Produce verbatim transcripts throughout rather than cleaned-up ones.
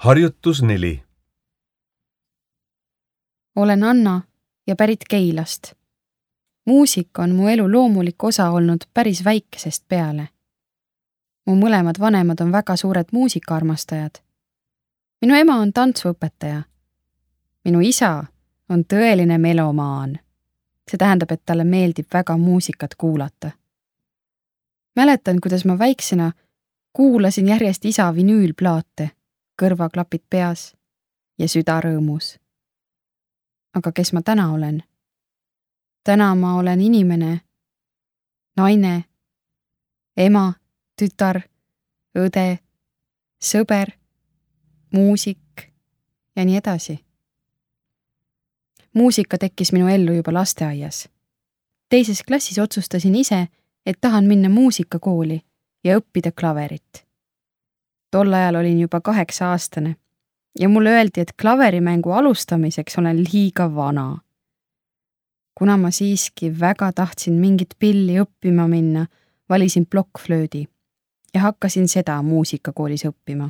Harjutus neli. Olen Anna ja pärit Keilast. Muusika on mu elu loomulik osa olnud päris väikesest peale. Mu mõlemad vanemad on väga suured muusikaarmastajad. Minu ema on tantsuõpetaja. Minu isa on tõeline melomaan. See tähendab, et talle meeldib väga muusikat kuulata. Mäletan, kuidas ma väiksena kuulasin järjest isa vinüülplaate, kõrvaklapid peas ja süda rõõmus. Aga kes ma täna olen? Täna ma olen inimene, naine, ema, tütar, õde, sõber, muusik ja nii edasi. Muusika tekkis minu ellu juba lasteaias. Teises klassis otsustasin ise, et tahan minna muusikakooli ja õppida klaverit. Tol ajal olin juba kaheksa aastane ja mulle öeldi, et klaverimängu alustamiseks olen liiga vana. Kuna ma siiski väga tahtsin mingit pilli õppima minna, valisin plokkflöödi ja hakkasin seda muusikakoolis õppima.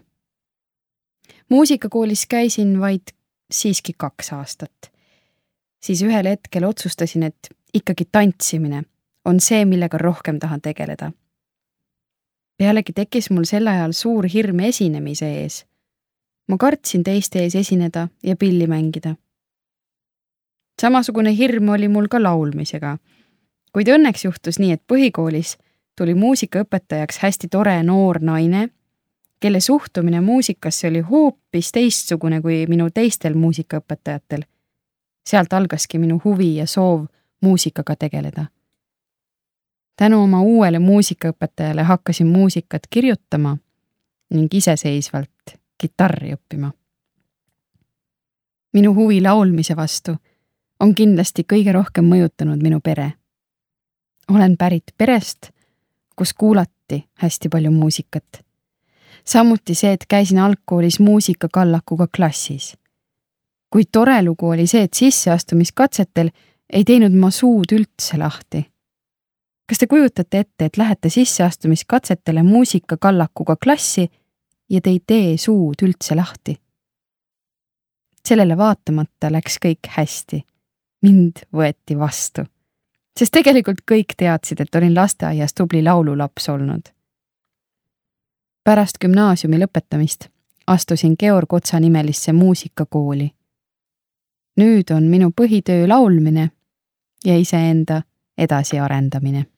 Muusikakoolis käisin vaid siiski kaks aastat. Siis ühel hetkel otsustasin, et ikkagi tantsimine on see, millega rohkem tahan tegeleda. Pealegi tekkis mul sel ajal suur hirm esinemise ees. Ma kartsin teiste ees esineda ja pilli mängida. Samasugune hirm oli mul ka laulmisega, kuid õnneks juhtus nii, et põhikoolis tuli muusikaõpetajaks hästi tore noor naine, kelle suhtumine muusikasse oli hoopis teistsugune kui minu teistel muusikaõpetajatel. Sealt algaski minu huvi ja soov muusikaga tegeleda. Tänu oma uuele muusikaõpetajale hakkasin muusikat kirjutama ning iseseisvalt kitarri õppima. Minu huvi laulmise vastu on kindlasti kõige rohkem mõjutanud minu pere. Olen pärit perest, kus kuulati hästi palju muusikat. Samuti see, et käisin algkoolis muusikakallakuga klassis. Kui tore lugu oli see, et sisseastumiskatsetel ei teinud ma suud üldse lahti. Kas te kujutate ette, et lähete sisseastumiskatsetele muusikakallakuga klassi ja te ei tee suud üldse lahti? Sellele vaatamata läks kõik hästi. Mind võeti vastu. Sest tegelikult kõik teadsid, et olin lasteaias tubli laululaps olnud. Pärast gümnaasiumi lõpetamist astusin Georg Otsa nimelisse muusikakooli. Nüüd on minu põhitöö laulmine ja iseenda edasi arendamine.